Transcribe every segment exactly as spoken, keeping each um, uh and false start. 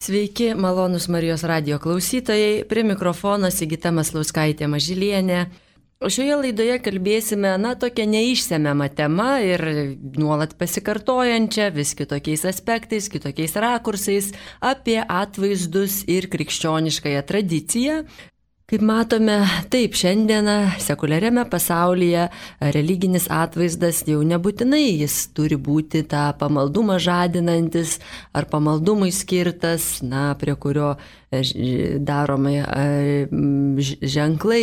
Sveiki, malonus Marijos radijo klausytojai, prie mikrofono Sigita Maslauskaitė Mažylienė. O šioje laidoje kalbėsime, na, tokia neišsemiama tema ir nuolat pasikartojančia, vis kitokiais aspektais, kitokiais rakursais apie atvaizdus ir krikščioniškąją tradiciją. Kaip matome, taip, šiandieną sekuliariame pasaulyje religinis atvaizdas jau nebūtinai jis turi būti tą pamaldumą žadinantis ar pamaldumui skirtas, na, prie kurio daromai ženklai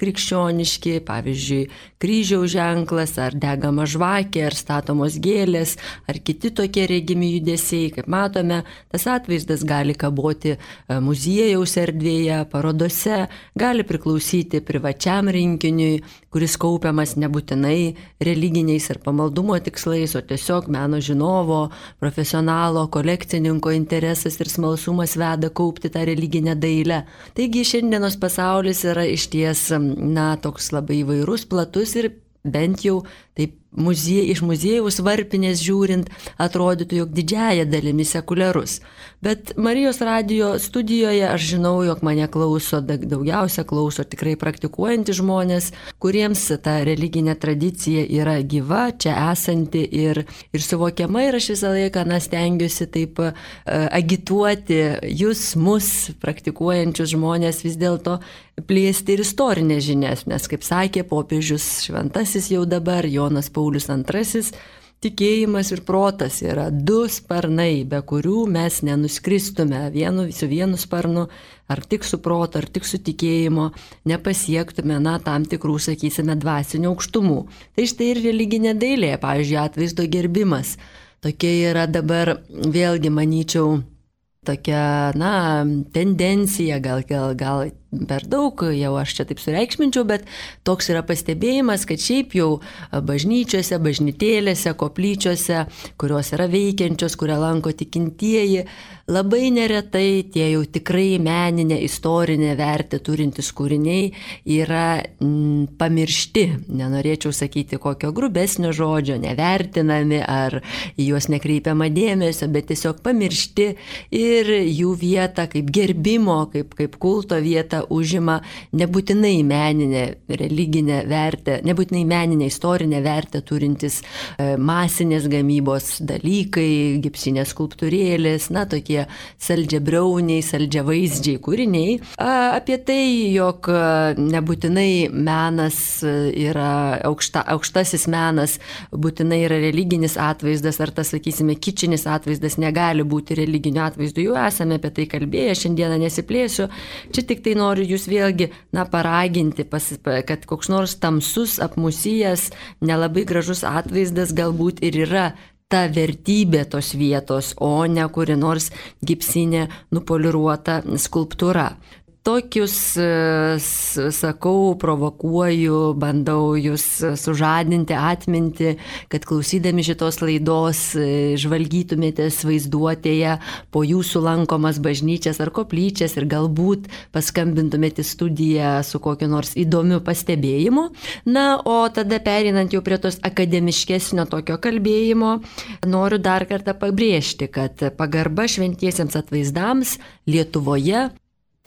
krikščioniški, pavyzdžiui, kryžiaus ženklas, ar degama žvakė, ar statomos gėlės, ar kiti tokie regimi judesiai. Kaip matome, tas atvaizdas gali kaboti muziejaus erdvėje, parodose, gali priklausyti privačiam rinkiniui, kuris kaupiamas nebūtinai religiniais ar pamaldumo tikslais, o tiesiog meno žinovo, profesionalo, kolekcininko interesas ir smalsumas veda kaupti tą religinę dailę. Taigi šiandienos pasaulis yra išties, na, toks labai įvairus, platus ir bent jau taip muzie, iš muziejaus varpinės žiūrint atrodytų, jog didžiąja dalimi sekuliarus. Bet Marijos radijo studijoje aš žinau, jog mane klauso, daugiausia klauso tikrai praktikuojantys žmonės, kuriems ta religinė tradicija yra gyva, čia esanti ir, ir suvokiama, ir aš visą laiką na, stengiuosi taip uh, agituoti jūs, mus, praktikuojančius žmonės vis dėlto plėsti ir istorinės žinias, nes, kaip sakė popiežius šventasis jau dabar, Jonas Paulius antrasis, tikėjimas ir protas yra du sparnai, be kurių mes nenuskristume vienu, su vienu sparnu, ar tik su proto, ar tik su tikėjimo, nepasiektume, na, tam tikrų, sakysime, dvasinių aukštumų. Tai štai ir religinė dailė, pavyzdžiui, atvaizdo gerbimas. Tokia yra dabar, vėlgi, manyčiau, tokia, na, tendencija, gal, gal, gal per daug, jau aš čia taip sureikšminčiau, bet toks yra pastebėjimas, kad šiaip jau bažnyčiose, bažnytėlėse, koplyčiose, kurios yra veikiančios, kurią lanko tikintieji, labai neretai tie jau tikrai meninė, istorinė vertė turintys kūriniai yra m, pamiršti. Nenorėčiau sakyti kokio grubesnio žodžio, nevertinami ar į juos nekreipiama dėmesio, bet tiesiog pamiršti ir jų vietą kaip gerbimo, kaip, kaip kulto vietą užima nebūtinai meninę religinę vertę, nebūtinai meninę istorinę vertę turintis e, masinės gamybos dalykai, gipsinės skulptūrėlės, na, tokie saldžiabriauniai, saldžiavaizdžiai kūriniai. A, apie tai, jog nebūtinai menas yra aukšta, aukštasis menas, būtinai yra religinis atvaizdas, ar tas, sakysime, kičinis atvaizdas negali būti religiniu atvaizdu. Jau esame apie tai kalbėję, šiandieną nesiplėsiu. Čia tik tai noriu jūs vėlgi, na, paraginti, pas, kad koks nors tamsus, apmusijęs, nelabai gražus atvaizdas galbūt ir yra ta vertybė tos vietos, o ne kuri nors gipsinė nupoliruota skulptūra. Tokius, sakau, provokuoju, bandau jūs sužadinti atmintį, kad klausydami šitos laidos žvalgytumėtės vaizduotėje po jūsų lankomas bažnyčias ar koplyčias ir galbūt paskambintumėte į studiją su kokiu nors įdomiu pastebėjimu. Na, o tada pereinant jau prie tos akademiškesnio tokio kalbėjimo, noriu dar kartą pabrėžti, kad pagarba šventiesiems atvaizdams Lietuvoje,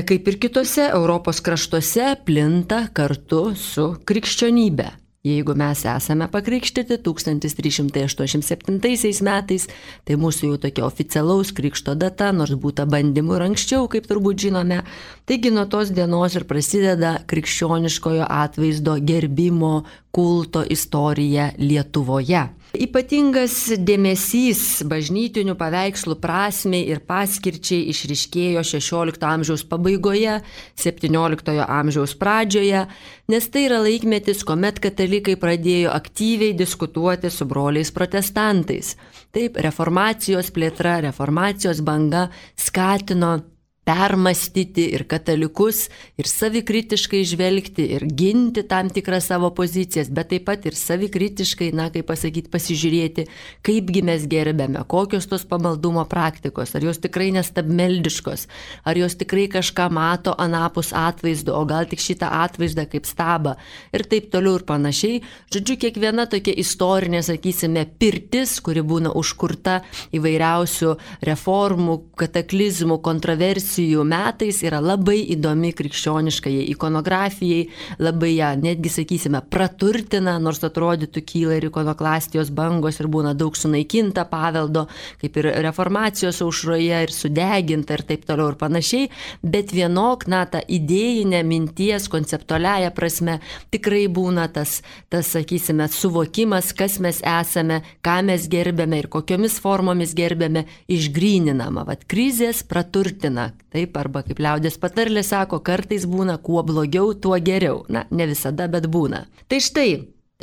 kaip ir kitose Europos kraštuose, plinta kartu su krikščionybe. Jeigu mes esame pakrikštyti tūkstantis trys šimtai aštuoniasdešimt septintaisiais metais, tai mūsų jau tokia oficialaus krikšto data, nors būta bandymų ir anksčiau, kaip turbūt žinome. Taigi nuo tos dienos ir prasideda krikščioniškojo atvaizdo gerbimo kulto istorija Lietuvoje. Ypatingas dėmesys bažnytinių paveikslų prasmei ir paskirčiai išryškėjo šešiolikto amžiaus pabaigoje, septynioliktojo amžiaus pradžioje, nes tai yra laikmetis, kuomet katalikai pradėjo aktyviai diskutuoti su broliais protestantais. Taip, reformacijos plėtra, reformacijos banga skatino permastyti ir katalikus, ir savikritiškai žvelgti, ir ginti tam tikrą savo pozicijas, bet taip pat ir savikritiškai, na, kaip pasakyti, pasižiūrėti, kaipgi mes gerbėme, kokios tos pamaldumo praktikos, ar jos tikrai nestabmeldiškos, ar jos tikrai kažką mato anapus atvaizdo, o gal tik šitą atvaizdą kaip stabą, ir taip toliau ir panašiai. Žodžiu, kiekviena tokia istorinė, sakysime, pirtis, kuri būna užkurta įvairiausių reformų, kataklizmų, kontroversijų metais, yra labai įdomi krikščioniškai ikonografijai, labai ją netgi, sakysime, praturtina, nors atrodytų kyla ir ikonoklastijos bangos ir būna daug sunaikinta paveldo, kaip ir reformacijos aušroje, ir sudeginta ir taip toliau ir panašiai, bet vienok, na, ta idėjinė minties, konceptualiaja prasme, tikrai būna tas, tas, sakysime, suvokimas, kas mes esame, ką mes gerbėme ir kokiomis formomis gerbėme, išgryninama. Vat krizės praturtina. Taip, arba kaip liaudės patarlė sako, kartais būna kuo blogiau, tuo geriau. Na, ne visada, bet būna. Tai štai,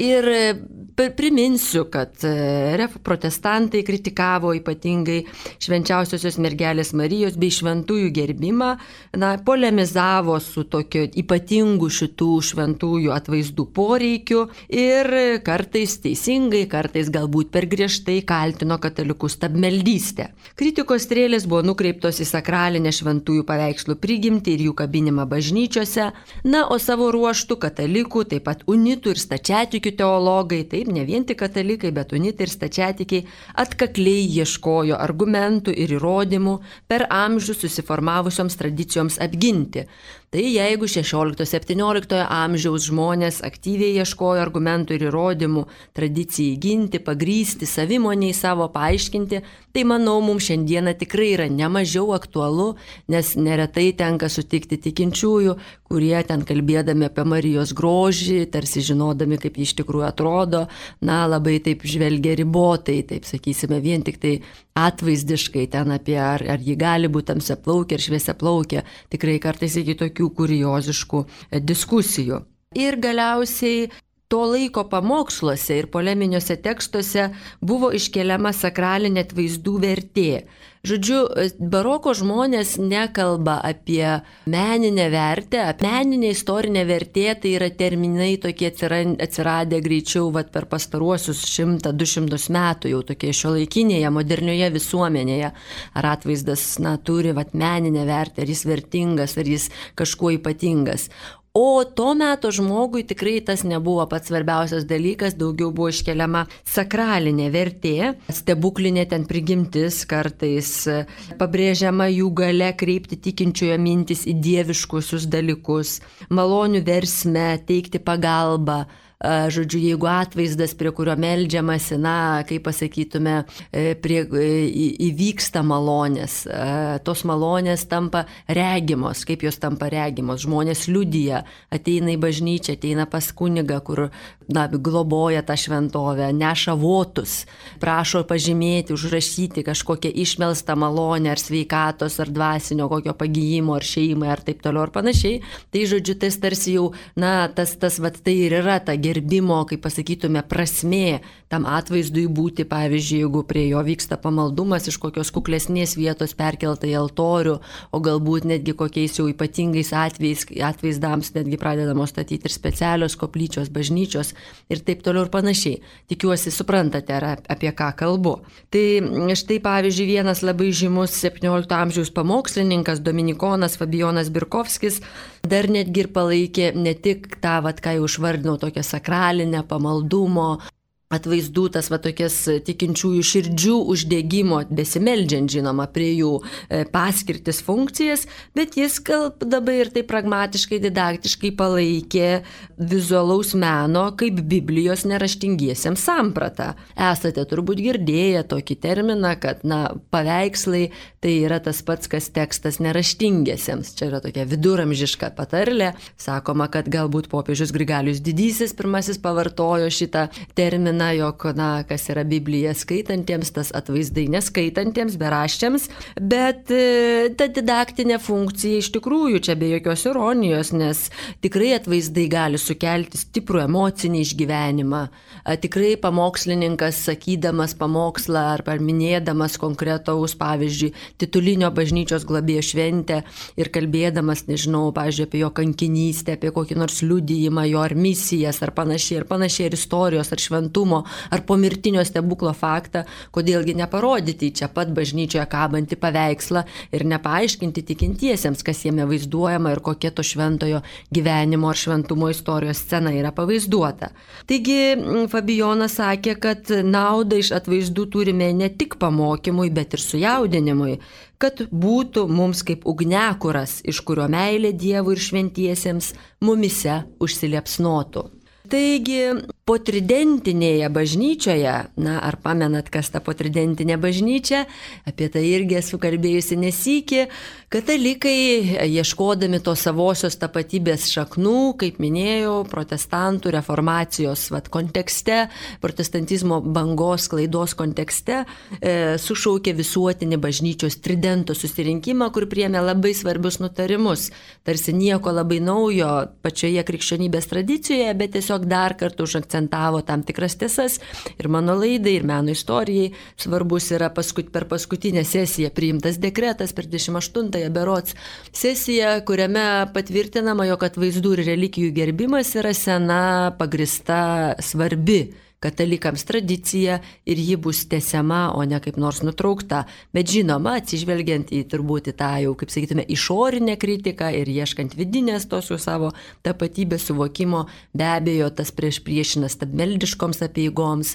ir priminsiu, kad protestantai kritikavo ypatingai švenčiausiosios mergelės Marijos bei šventųjų gerbimą, na, polemizavo su tokio ypatingu šitų šventųjų atvaizdų poreikiu ir kartais teisingai, kartais galbūt per griežtai kaltino katalikus stabmeldystę. Kritikos strėlės buvo nukreiptos į sakralinę šventųjų paveikslų prigimtį ir jų kabinimą bažnyčiose, na, o savo ruoštų katalikų, taip pat unitų ir stačiatikių teologai, taip, ne vien tik katalikai, bet unitai ir stačiatikiai, atkakliai ieškojo argumentų ir įrodymų per amžius susiformavusioms tradicijoms apginti. Tai jeigu šešiolikto-septyniolikto amžiaus žmonės aktyviai ieškojo argumentų ir įrodymų tradicijai ginti, pagrysti, savimoniai savo paaiškinti, tai manau, mums šiandieną tikrai yra nemažiau aktualu, nes neretai tenka sutikti tikinčiųjų, kurie ten kalbėdami apie Marijos grožį, tarsi žinodami, kaip ji iš tikrųjų atrodo, na, labai taip žvelgia ribotai, taip sakysime, vien tik tai atvaizdiškai ten apie, ar, ar ji gali būti tamsiaplaukė ar šviesiaplaukė, tikrai kartais iki tokių kurioziškų diskusijų. Ir galiausiai to laiko pamoksluose ir poleminiuose tekstuose buvo iškeliama sakralinė atvaizdų vertė. Žodžiu, baroko žmonės nekalba apie meninę vertę, meninė istorinė vertė, tai yra terminai tokie atsiradę greičiau vat, per pastaruosius šimtą du šimtus metų, jau tokie šiuolaikinėje, modernioje visuomenėje. Ar atvaizdas, na, turi vat, meninę vertę, ar jis vertingas, ar jis kažkuo ypatingas. O to meto žmogui tikrai tas nebuvo pats svarbiausias dalykas, daugiau buvo iškeliama sakralinė vertė, stebuklinė ten prigimtis, kartais pabrėžiama jų galia kreipti tikinčiojo mintis į dieviškusius dalykus, malonių versme, teikti pagalbą. Žodžiu, jeigu atvaizdas, prie kurio meldžiamasi, na, kaip pasakytume, prie, įvyksta malonės, tos malonės tampa regimos, kaip jos tampa regimos, žmonės liudija, ateina į bažnyčią, ateina pas kunigą, kur, na, globoja tą šventovę, neša votus, prašo pažymėti, užrašyti kažkokią išmelstą malonę ar sveikatos, ar dvasinio kokio pagijimo, ar šeimai, ar taip toliau, ar panašiai. Tai, žodžiu, tas tarsi jau, na, tas, tas, vat, tai ir yra ta gerbimo, kaip pasakytume, prasmė tam atvaizdui būti, pavyzdžiui, jeigu prie jo vyksta pamaldumas iš kokios kuklesnės vietos perkelta į altorių, o galbūt netgi kokiais jau ypatingais atvejais, atvaizdams netgi pradedamos statyti ir specialios koplyčios, bažnyčios ir taip toliau ir panašiai. Tikiuosi, suprantate, apie ką kalbu. Tai štai, pavyzdžiui, vienas labai žymus septyniolikto amžiaus pamokslininkas, dominikonas Fabijonas Birkovskis, dar netgi ir palaikė ne tik tą, vat, ką jau išvardinau, tokią sakralinę pamaldumo, atvaizdų, tas va tokias tikinčiųjų širdžių uždegimo, besimeldžiant žinoma prie jų paskirtis funkcijas, bet jis kalbdavo ir tai pragmatiškai, didaktiškai palaikė vizualaus meno kaip Biblijos neraštingiesiems sampratą. Esate turbūt girdėję tokį terminą, kad, na, paveikslai tai yra tas pats, kas tekstas neraštingiesiems. Čia yra tokia viduramžiška patarlė. Sakoma, kad galbūt popiežius Grigalius Didysis pirmasis pavartojo šitą terminą primena, jog, na, kas yra Biblija skaitantiems, tas atvaizdai neskaitantiems, beraščiams, bet e, ta didaktinė funkcija iš tikrųjų čia be jokios ironijos, nes tikrai atvaizdai gali sukelti stiprų emocinį išgyvenimą. A, tikrai pamokslininkas, sakydamas pamokslą ar minėdamas konkretaus, pavyzdžiui, titulinio bažnyčios globėjo šventę ir kalbėdamas, nežinau, pavyzdžiui, apie jo kankinystę, apie kokį nors liudijimą, jo ar misijas, ar panašiai, ar panašiai, ar istorijos, ar šventumo, ar pomirtinio stebuklo faktą, kodėlgi neparodyti čia pat bažnyčioje kabantį paveikslą ir nepaaiškinti tikintiesiems, kas jame vaizduojama ir kokia to šventojo gyvenimo ar šventumo istorijos scena yra pavaizduota. Taigi Fabijonas sakė, kad naudą iš atvaizdų turime ne tik pamokymui, bet ir sujaudinimui, kad būtų mums kaip ugniakuras, iš kurio meilė Dievui ir šventiesiems mumise užsiliepsnotų. Taigi, potridentinėje bažnyčioje, na, ar pamenat, kas ta potridentinė bažnyčia, apie tai irgi esu kalbėjusi nesykį, katalikai, ieškodami to savosios tapatybės šaknų, kaip minėjau, protestantų reformacijos vat, kontekste, protestantizmo bangos klaidos kontekste, e, sušaukė visuotinį bažnyčios tridento susirinkimą, kur priėmė labai svarbius nutarimus, tarsi nieko labai naujo pačioje krikščionybės tradicijoje, bet tiesiog dar kartą užakcentavo tam tikras tiesas ir mano laidai, ir meno istorijai svarbus yra paskut, per paskutinę sesiją priimtas dekretas per dvidešimt aštuntąją berods sesiją, kuriame patvirtinama, jog atvaizdų ir relikijų gerbimas yra sena, pagrįsta, svarbi katalikams tradicija ir ji bus tęsiama, o ne kaip nors nutraukta. Bet žinoma, atsižvelgiant į turbūt į tą jau, kaip sakytume, išorinę kritiką ir ieškant vidinės tos jau savo tapatybės suvokimo, be abejo, tas prieš priešinas stabmeldiškoms apeigoms,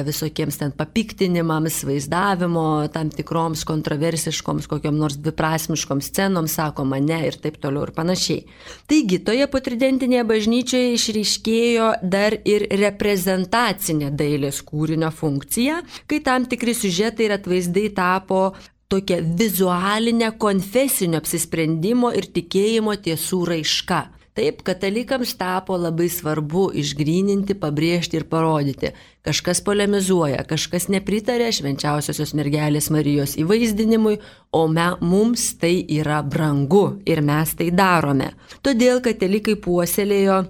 visokiems ten papiktinimams, vaizdavimo, tam tikroms kontroversiškoms, kokiam nors dviprasmiškoms scenoms, sakoma ne ir taip toliau ir panašiai. Taigi, toje potridentinėje bažnyčioje išryškėjo dar ir reprezentacija dailės kūrinio funkcija, kai tam tikri siužetai ir atvaizdai tapo tokia vizualinė konfesinio apsisprendimo ir tikėjimo tiesų raiška. Taip, katalikams tapo labai svarbu išgryninti, pabrėžti ir parodyti. Kažkas polemizuoja, kažkas nepritarė švenčiausiosios mergelės Marijos įvaizdinimui, o me, mums tai yra brangu ir mes tai darome. Todėl katalikai puoselėjo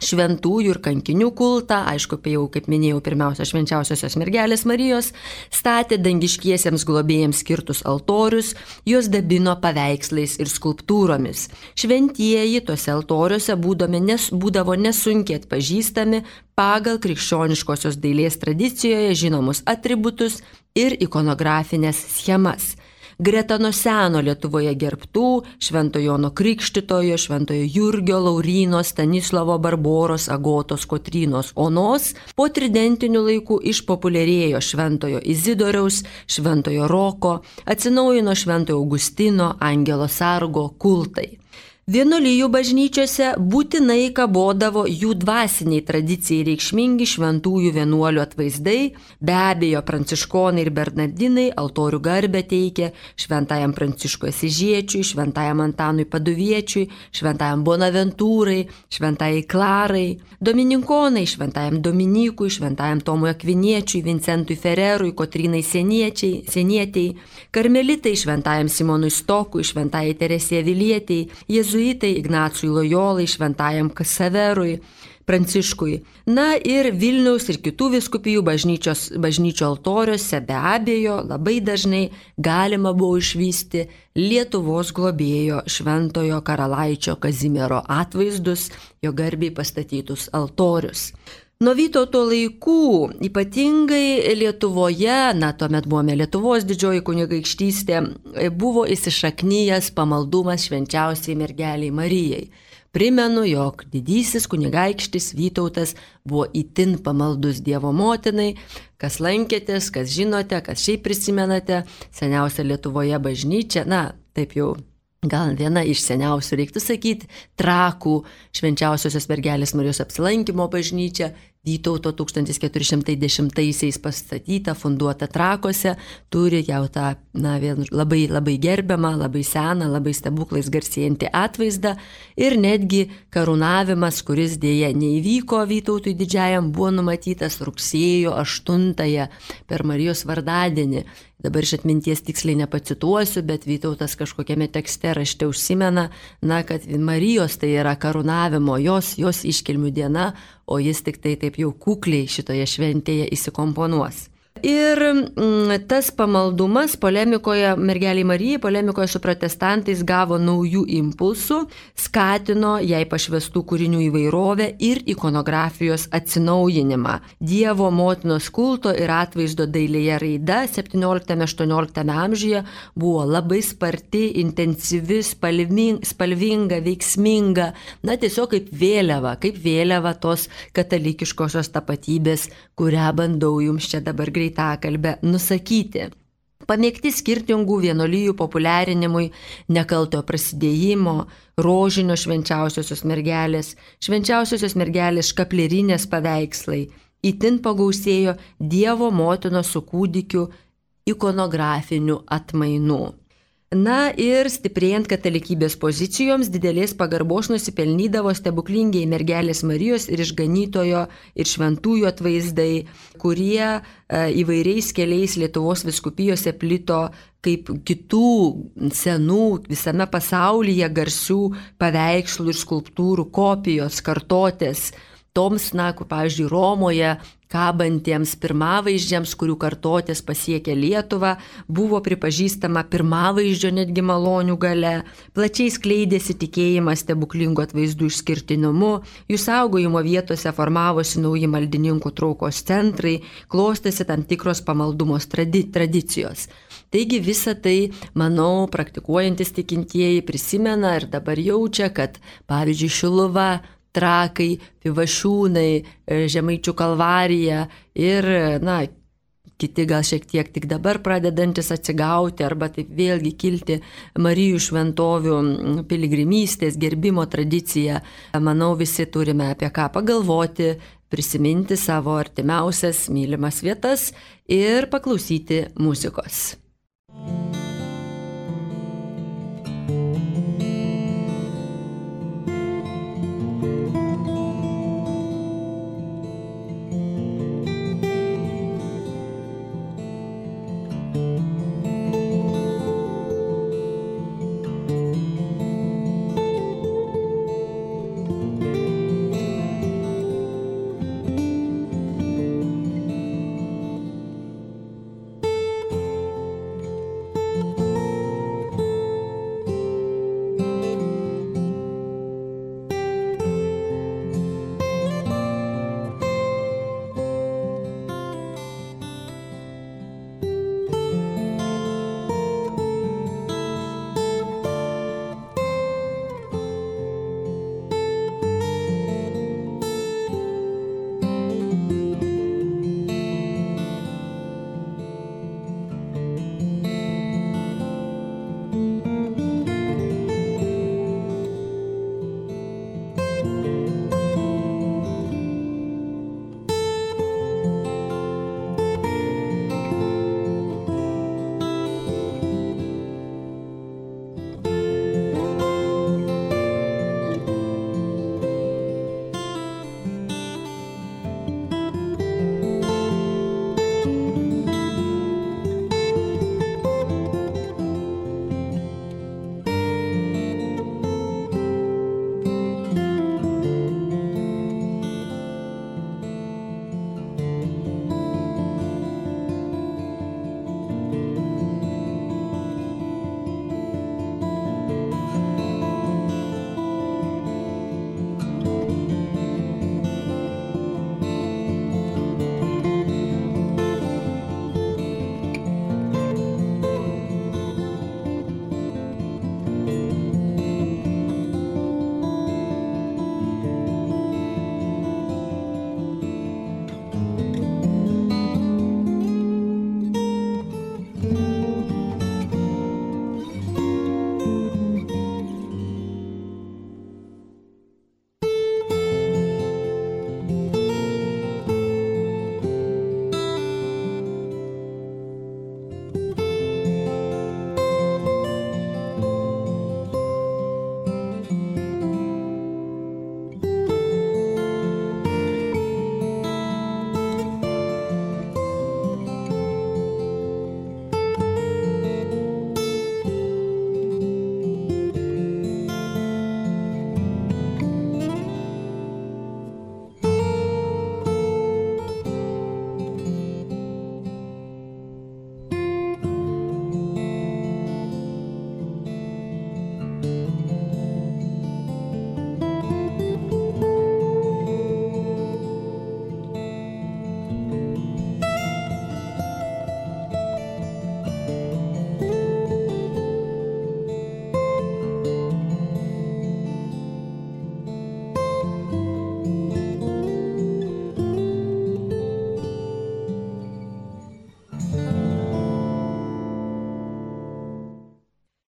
šventųjų ir kankinių kultą, aišku, jau, kaip minėjau, pirmiausia, švenčiausiosios mergelės Marijos, statė dangiškiesiems globėjams skirtus altorius, juos dabino paveikslais ir skulptūromis. Šventieji tose altoriuose nes, būdavo nesunkiai atpažįstami pagal krikščioniškosios dailės tradicijoje žinomus atributus ir ikonografinės schemas. Greta nuo seno Lietuvoje gerbtų Šventojo Jono Krikštytojo, Šventojo Jurgio, Lauryno, Stanislovo, Barboros, Agotos, Kotrynos, Onos, po tridentinių laikų išpopuliarėjo Šventojo Izidoriaus, Šventojo Roko, atsinaujino Šventojo Augustino, Angelo Sargo kultai. Vienuolijų bažnyčiose būtinai kabodavo jų dvasiniai tradicijai reikšmingi šventųjų vienuolių atvaizdai, be abejo pranciškonai ir bernardinai altorių garbę teikė šventajam Pranciškui Asyžiečiui, šventajam Antanui Paduviečiui, šventajam Bonaventūrai, šventajai Klarai, domininkonai šventajam Dominykui, šventajam Tomui Akviniečiui, Vincentui Fererui, Kotrynai Senietei, karmelitai šventajam Simonui Stokui, šventajai Teresė Avilietei, jėzuitai Ignacui Lojolai, šventajam Ksaverui, Pranciškui. Na ir Vilniaus ir kitų vyskupijų bažnyčių altoriuose be abejo labai dažnai galima buvo išvysti Lietuvos globėjo Šventojo Karalaičio Kazimiero atvaizdus, jo garbei pastatytus altorius. Nuo Vytauto laikų, ypatingai Lietuvoje, na tuomet buvome Lietuvos didžioji kunigaikštystė, buvo įsišaknyjęs pamaldumas švenčiausiai mergeliai Marijai. Primenu, jog didysis kunigaikštis Vytautas buvo itin pamaldus Dievo motinai. Kas lankėtės, kas žinote, kas šiaip prisimenate, seniausia Lietuvoje bažnyčia, na taip jau gal viena iš seniausių, reiktų sakyti, Trakų švenčiausiosios mergelės Marijos apsilankymo bažnyčia, Vytauto tūkstantis keturi šimtai dešimtaisiais pastatyta, funduota Trakuose, turi jau tą na, labai, labai gerbiamą, labai seną, labai stebuklais garsėjantį atvaizdą ir netgi karūnavimas, kuris dėja neįvyko Vytautui didžiajam, buvo numatytas rugsėjo aštuntąją per Marijos vardadienį. Dabar iš atminties tiksliai nepacituosiu, bet Vytautas kažkokiame tekste rašte užsimena, na, kad Marijos tai yra karūnavimo, jos, jos iškilmių diena, o jis tik tai taip jau kukliai šitoje šventėje įsikomponuos. Ir mm, tas pamaldumas polemikoje, mergeliai Marijai, polemikoje su protestantais gavo naujų impulsų, skatino jai pašvestų kūrinių įvairovę ir ikonografijos atsinaujinimą. Dievo motinos kulto ir atvaizdo dailėje raida septynioliktame aštuonioliktame amžiuje buvo labai sparti, intensyvi, spalvinga, spalvinga, veiksminga, na tiesiog kaip vėliava, kaip vėliava tos katalikiškosios tapatybės, kurią bandau jums čia dabar greitai tą kalbę nusakyti. Pamėgti skirtingų vienolyjų populiarinimui, nekaltojo prasidėjimo, rožinio švenčiausiosios mergelės, švenčiausiosios mergelės škaplierinės paveikslai, itin pagausėjo Dievo motinos su kūdikiu ikonografinių atmainų. Na ir stiprėjant katalikybės pozicijoms, didelės pagarbos nusipelnydavo stebuklingieji mergelės Marijos ir išganytojo ir šventųjų atvaizdai, kurie e, įvairiais keliais Lietuvos vyskupijose plito kaip kitų senų visame pasaulyje garsių paveikslų ir skulptūrų kopijos, kartotės. Toms, na, kur, pavyzdžiui, Romoje kabantiems pirmavaizdžiams, kurių kartotės pasiekė Lietuvą, buvo pripažįstama pirmavaizdžio netgi malonių gale, plačiai skleidėsi tikėjimas stebuklingų atvaizdų išskirtinumu, jų saugojimo vietose formavosi nauji maldininkų traukos centrai, klostėsi tam tikros pamaldumos tradi- tradicijos. Taigi visą tai, manau, praktikuojantis tikintieji prisimena ir dabar jaučia, kad, pavyzdžiui, Šiluva, Trakai, Pivašiūnai, Žemaičių Kalvarija ir, na, kiti gal šiek tiek tik dabar pradedantis atsigauti arba taip vėlgi kilti Marijų šventovių piligrimystės, gerbimo tradiciją. Manau, visi turime apie ką pagalvoti, prisiminti savo artimiausias mylimas vietas ir paklausyti muzikos.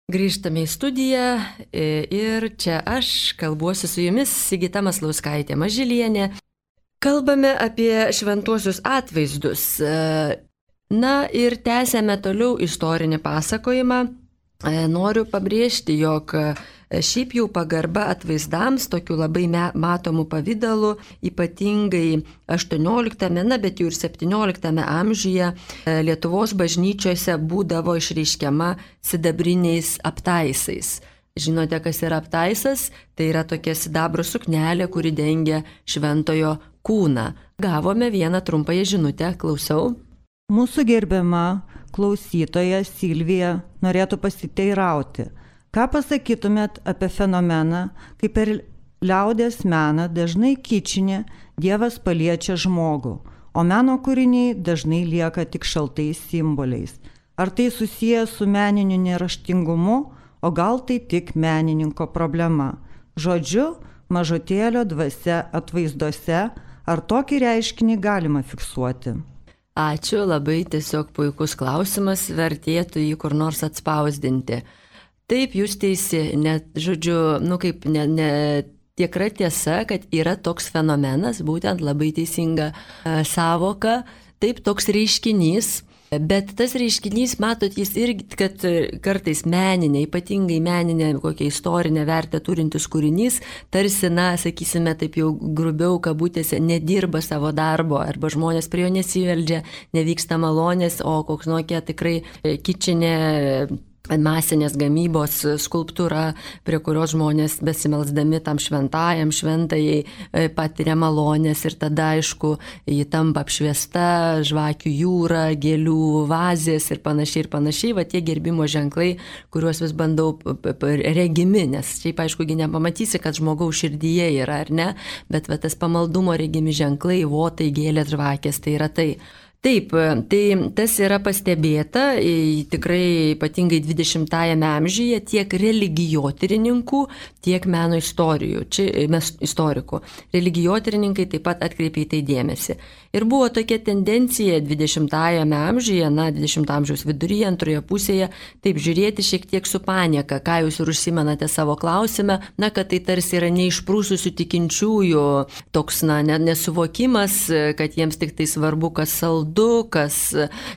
Grįžtame į studiją ir čia aš kalbuosi su jumis, Sigita Maslauskaitė Mažylienė. Kalbame apie šventuosius atvaizdus. Na ir tęsėme toliau istorinį pasakojimą. Noriu pabrėžti, jog šiaip jau pagarba atvaizdams, tokiu labai matomų pavydalų, ypatingai aštuonioliktame, na bet jau ir septynioliktame amžiuje Lietuvos bažnyčiose būdavo išreiškiama sidabriniais aptaisais. Žinote, kas yra aptaisas? Tai yra tokia sidabro suknelė, kuri dengia šventojo kūną. Gavome vieną trumpąją žinutę, klausau. Mūsų gerbiama klausytoja Silvija norėtų pasiteirauti. Ką pasakytumėt apie fenomeną, kai per liaudies meną dažnai kičinė Dievas paliečia žmogų, o meno kūriniai dažnai lieka tik šaltais simboliais? Ar tai susiję su meniniu neraštingumu, o gal tai tik menininko problema? Žodžiu, mažutėlio dvasia atvaizduose, ar tokį reiškinį galima fiksuoti? Ačiū, labai tiesiog puikus klausimas, vertėtų jį kur nors atspausdinti. Taip, jūs teisi, net, žodžiu, nu kaip ne, ne tikra tiesa, kad yra toks fenomenas, būtent labai teisinga e, savoka, taip toks reiškinys. Bet tas reiškinys, matot, jis irgi, kad kartais meninė, ypatingai meninė, kokią istorinę vertę turintis kūrinys, tarsi, na, sakysime, taip jau grubiau kabutėse, nedirba savo darbo, arba žmonės prie jo nesiveldžia, nevyksta malonės, o koks nokia tikrai kičinė masinės gamybos skulptūra, prie kurios žmonės besimelsdami tam šventajam, šventajai patiria malonės ir tada, aišku, ji tampa apšviesta, žvakių jūra, gėlių vazės ir panašiai ir panašiai, va tie gerbimo ženklai, kuriuos vis bandau regimi, nes šiaip, aišku, nepamatysi, kad žmogaus širdyje yra, ar ne, bet va tas pamaldumo regimi ženklai, votai, gėlės, žvakės, tai yra tai. Taip, tai tas yra pastebėta, tikrai ypatingai dvidešimtajame amžiuje tiek religijotyrininkų, tiek meno istorijų, čia mes istorikų. Religijotyrininkai taip pat atkreipė į tai dėmesį. Ir buvo tokia tendencija dvidešimtajame amžiuje, na, dvidešimto amžiaus viduryje, antroje pusėje, taip žiūrėti šiek tiek su panieka, ką jūs ir užsimenate savo klausime, na, kad tai tarsi yra neišprūsusių tikinčiųjų toks, na, nesuvokimas, kad jiems tik tai svarbu, kas saldu, Kas,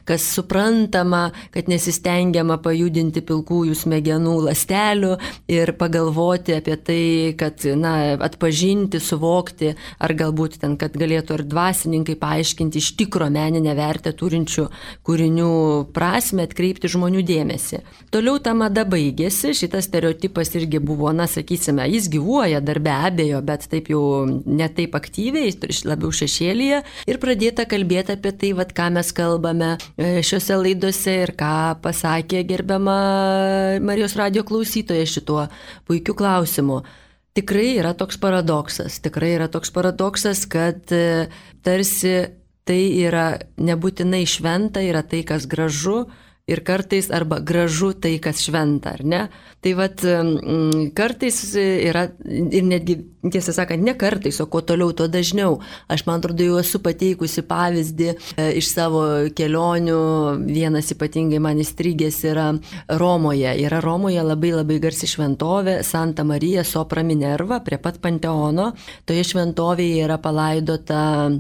kas suprantama, kad nesistengiama pajudinti pilkųjų smegenų ląstelių ir pagalvoti apie tai, kad, na, atpažinti, suvokti, ar galbūt ten, kad galėtų ir dvasininkai paaiškinti iš tikro meninę vertę turinčių kūrinių prasme, atkreipti žmonių dėmesį. Toliau ta mada baigėsi, šitas stereotipas irgi buvo, na, sakysime, jis gyvuoja dar be abejo, bet taip jau ne taip aktyviai, labiau šešėlyje ir pradėta kalbėti apie tai, vat, ką mes kalbame šiuose laidose ir ką pasakė gerbiama Marijos radijo klausytoja šituo puikiu klausimu. Tikrai yra toks paradoksas, tikrai yra toks paradoksas, kad tarsi tai yra nebūtinai šventa, yra tai, kas gražu, ir kartais arba gražu tai, kas šventa, ar ne? Tai vat kartais yra, ir netgi, tiesą sakant, ne kartais, o kuo toliau, tuo dažniau. Aš, man atrodo, jau esu pateikusi pavyzdį iš savo kelionių, vienas ypatingai man įstrigęs yra Romoje. Yra Romoje labai labai garsi šventovė Santa Marija Sopra Minerva prie pat Panteono. Toje šventovėje yra palaidota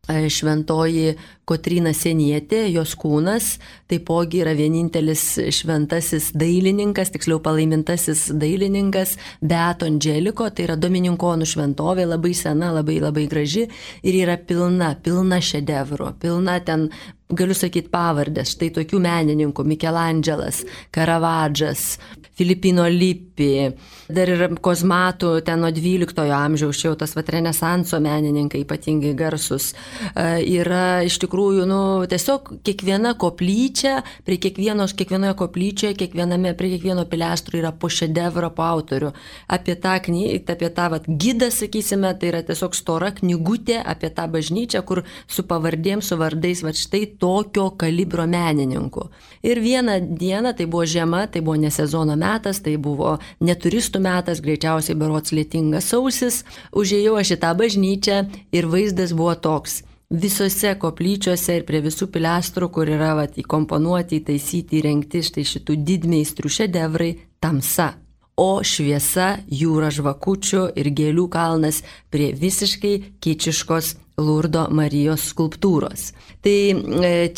šventoji Kotryna Sienietė, jos kūnas, taipogi yra vienintelis šventasis dailininkas, tiksliau palaimintasis dailininkas Beato Andželiko, tai yra domininkonų šventovė, labai sena, labai labai graži ir yra pilna, pilna šedevrų, pilna ten, galiu sakyti pavardės, štai tokių menininkų, Mikelandželas, Karavadžas, Filipino Lippi, dar yra kozmatų ten nuo dvyliktojo amžiaus, čia jau tas vat renesanso menininkai ypatingai garsus. Yra iš tikrųjų, nu, tiesiog kiekviena koplyčia, prie kiekvienos, kiekvienoje koplyčioje, kiekviename, prie kiekvieno pilestrų yra po šedevrą, po autorių. Apie tą knygą, apie tą vat gidą, sakysime, tai yra tiesiog stora knygutė apie tą bažnyčią, kur su pavardėm, su vardais, vat štai tokio kalibro menininkų. Ir vieną dieną, tai buvo žiema, tai buvo ne sezono metas, tai buvo ne turistų metas, greičiausiai berods lietingas sausis, užėjau aš į tą bažnyčią ir vaizdas buvo toks. visose koplyčiose ir prie visų pilestrų, kur yra vat, įkomponuoti, įtaisyti, įrengti štai šitų didmeistrių šedevrai, tamsa. O šviesa, jūra žvakučių ir gėlių kalnas prie visiškai kičiškos Lurdo Marijos skulptūros. Tai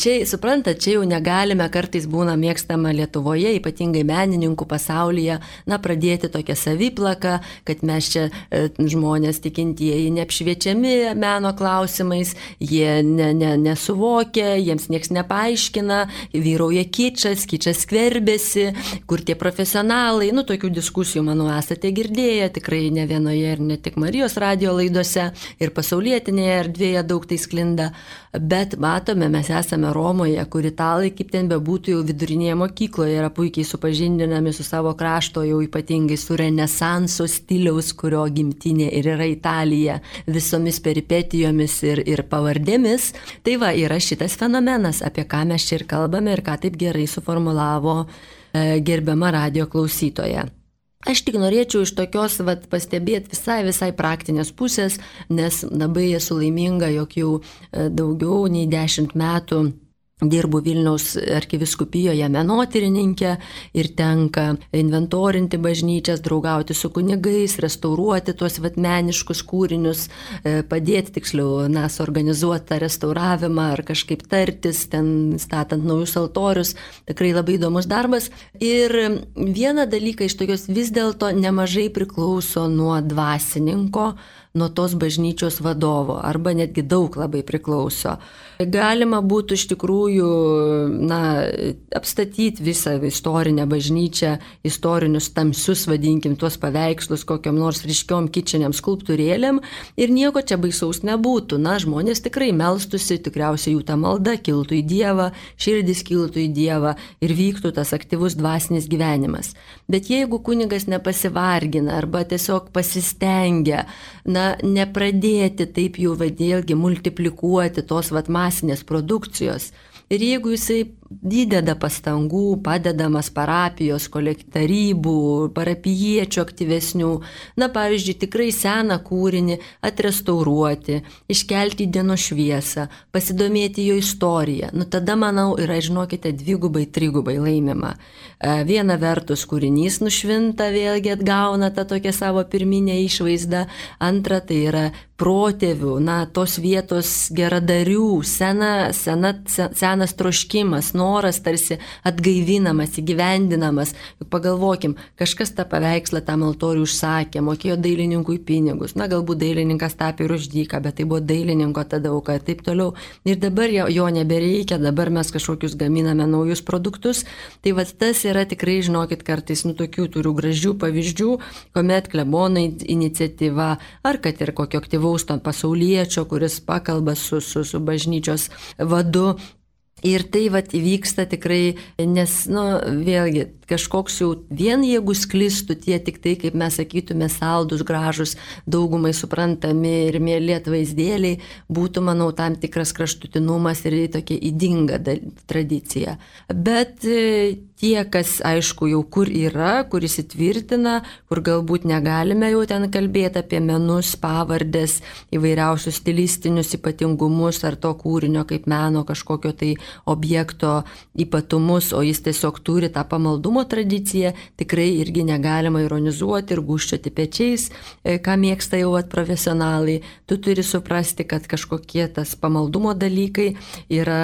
čia, suprantat, čia jau negalime, kartais būna mėgstama Lietuvoje, ypatingai menininkų pasaulyje, na, pradėti tokią saviplaką, kad mes čia žmonės tikintieji neapšviečiami meno klausimais, jie ne, ne, nesuvokia, jiems nieks nepaaiškina, vyrauja kičas, kičas skverbėsi, kur tie profesionalai, nu, tokių diskusijų, manau, esate girdėję, tikrai ne vienoje ir ne tik Marijos radijo laidose, ir pasaulietinėje erdvėje daug tai sklinda, bet matome, mes esame Romoje, kur italai, kaip ten bebūtų, jau vidurinėje mokykloje yra puikiai supažindinami su savo krašto, jau ypatingai su renesanso stiliaus, kurio gimtinė ir yra Italija, visomis peripetijomis ir, ir pavardėmis. Tai va, yra šitas fenomenas, apie ką mes čia ir kalbame ir ką taip gerai suformulavo e, gerbiama radijo klausytoja. Aš tik norėčiau iš tokios vat, pastebėti visai, visai praktinės pusės, nes labai esu laiminga, jog jau daugiau nei dešimt metų dirbu Vilniaus arkiviskupijoje menotyrininkė ir tenka inventorinti bažnyčias, draugauti su kunigais, restauruoti tuos vat, meniškus kūrinius, padėti tiksliau, na, suorganizuoti tą restauravimą ar kažkaip tartis, ten statant naujus altorius. Tikrai labai įdomus darbas. Ir vieną dalyką iš tokios vis dėlto nemažai priklauso nuo dvasininko, nuo tos bažnyčios vadovo, arba netgi daug labai priklauso. Galima būtų iš tikrųjų, na, apstatyti visą istorinę bažnyčią, istorinius tamsius, vadinkim, tuos paveikslus kokiam nors ryškiom kičiniam skulptūrėlėm ir nieko čia baisaus nebūtų. Na, žmonės tikrai melstusi, tikriausiai jų ta malda kiltų į Dievą, širdis kiltų į Dievą ir vyktų tas aktyvus dvasinis gyvenimas. Bet jeigu kunigas nepasivargina arba tiesiog pasistengia, na, nepradėti taip jau vėlgi multiplikuoti tos vat masinės produkcijos. Ir jeigu jisai įdeda pastangų, padedamas parapijos, kolektarybų, parapijiečių aktyvesnių, na, pavyzdžiui, tikrai seną kūrinį atrestauruoti, iškelti į dienos šviesą, pasidomėti jo istoriją, nu tada, manau, yra, žinokite, dvigubai, trigubai laimima. Viena vertus kūrinys nušvinta, vėlgi atgauna tą tokią savo pirminę išvaizdą, antra tai yra protėvių, na, tos vietos geradarių, sena, sena, senas troškimas, noras tarsi atgaivinamas, įgyvendinamas. Juk pagalvokim, kažkas tą paveikslą tam altorių užsakė, mokėjo dailininkui pinigus, na, galbūt dailininkas tapė ir už dyką, bet tai buvo dailininko tada auka ir taip toliau. Ir dabar jo, jo nebereikia, dabar mes kažkokius gaminame naujus produktus. Tai va tas yra tikrai, žinokit, kartais, nu, tokių turiu gražių pavyzdžių, kuomet klebonai iniciatyva, ar kad ir kokio aktyvaus to pasauliečio, kuris pakalba su, su, su bažnyčios vadu. Ir tai vat įvyksta tikrai, nes, nu, vėlgi, kažkoks jau vien jeigu sklistų tie tik tai, kaip mes sakytume, saldus, gražus, daugumai suprantami ir mėly atvaizdėliai, būtų, manau, tam tikras kraštutinumas ir tokia ydinga tradicija. Bet tie, kas, aišku, jau kur yra, kur įsitvirtina, kur galbūt negalime jau ten kalbėti apie menus, pavardės, įvairiausius stilistinius ypatingumus ar to kūrinio kaip meno kažkokio tai objekto ypatumus, o jis tiesiog turi tą pamaldumo tradiciją, tikrai irgi negalima ironizuoti ir gūžčioti pečiais, ką mėgsta jau at profesionalai. Tu turi suprasti, kad kažkokie tas pamaldumo dalykai yra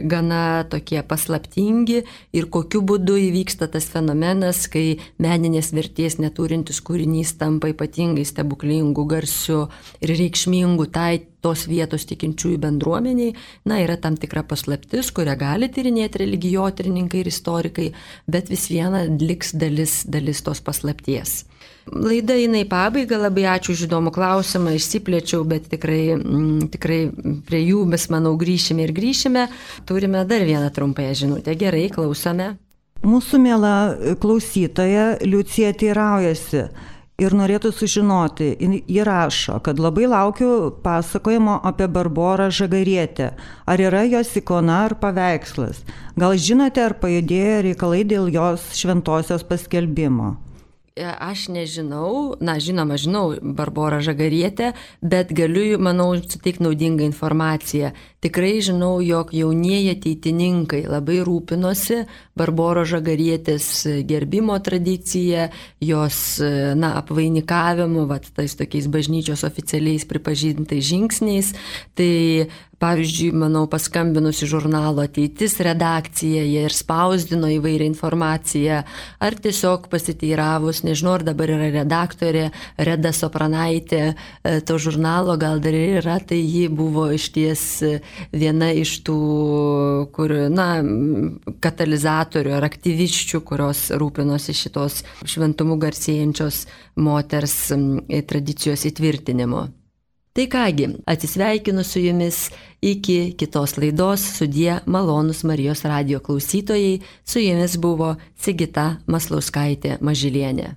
gana tokie paslaptingi ir kokiu būdu įvyksta tas fenomenas, kai meninės vertės neturintis kūrinys tampa ypatingai stebuklingu, garsiu ir reikšmingu tai tos vietos tikinčiųjų bendruomeniai. Na, yra tam tikra paslaptis, kurią gali tyrinėti religijotyrininkai ir istorikai, bet vis viena liks dalis, dalis tos paslapties. Laida eina į pabaigą, labai ačiū už įdomų klausimą, išsiplėčiau, bet tikrai, m, tikrai prie jų mes, manau, grįšime ir grįšime. Turime dar vieną trumpąją žinutę. Gerai, klausome. Mūsų miela klausytoja Liucija teiraujasi ir norėtų sužinoti, ji rašo, kad labai laukiu pasakojimo apie Barborą Žagarietę. Ar yra jos ikona ar paveikslas? Gal žinote, ar pajudėjo reikalai dėl jos šventosios paskelbimo? Aš nežinau, na žinoma, žinau Barborą Žagarietę, bet galiu, manau, suteikti naudingą informaciją. Tikrai žinau, jog jaunieji ateitininkai labai rūpinosi Barboros Žagarietės gerbimo tradicija, jos, na, apvainikavimu, vat, tais tokiais bažnyčios oficialiais pripažintais žingsniais. Tai pavyzdžiui, manau, paskambinusi žurnalo Ateitis redakcija, jie ir spausdino įvairią informaciją, ar tiesiog pasiteiravus, nežinau, ar dabar yra redaktorė Reda Sopranaitė to žurnalo, gal dar yra, tai ji buvo išties viena iš tų, kur, na, katalizatorių ar aktyviščių, kurios rūpinosi šitos šventumu garsėjančios moters tradicijos įtvirtinimu. Tai kągi, atsisveikinu su jumis iki kitos laidos, sudie malonūs Marijos radijo klausytojai, su jumis buvo Sigita Maslauskaitė Mažylienė.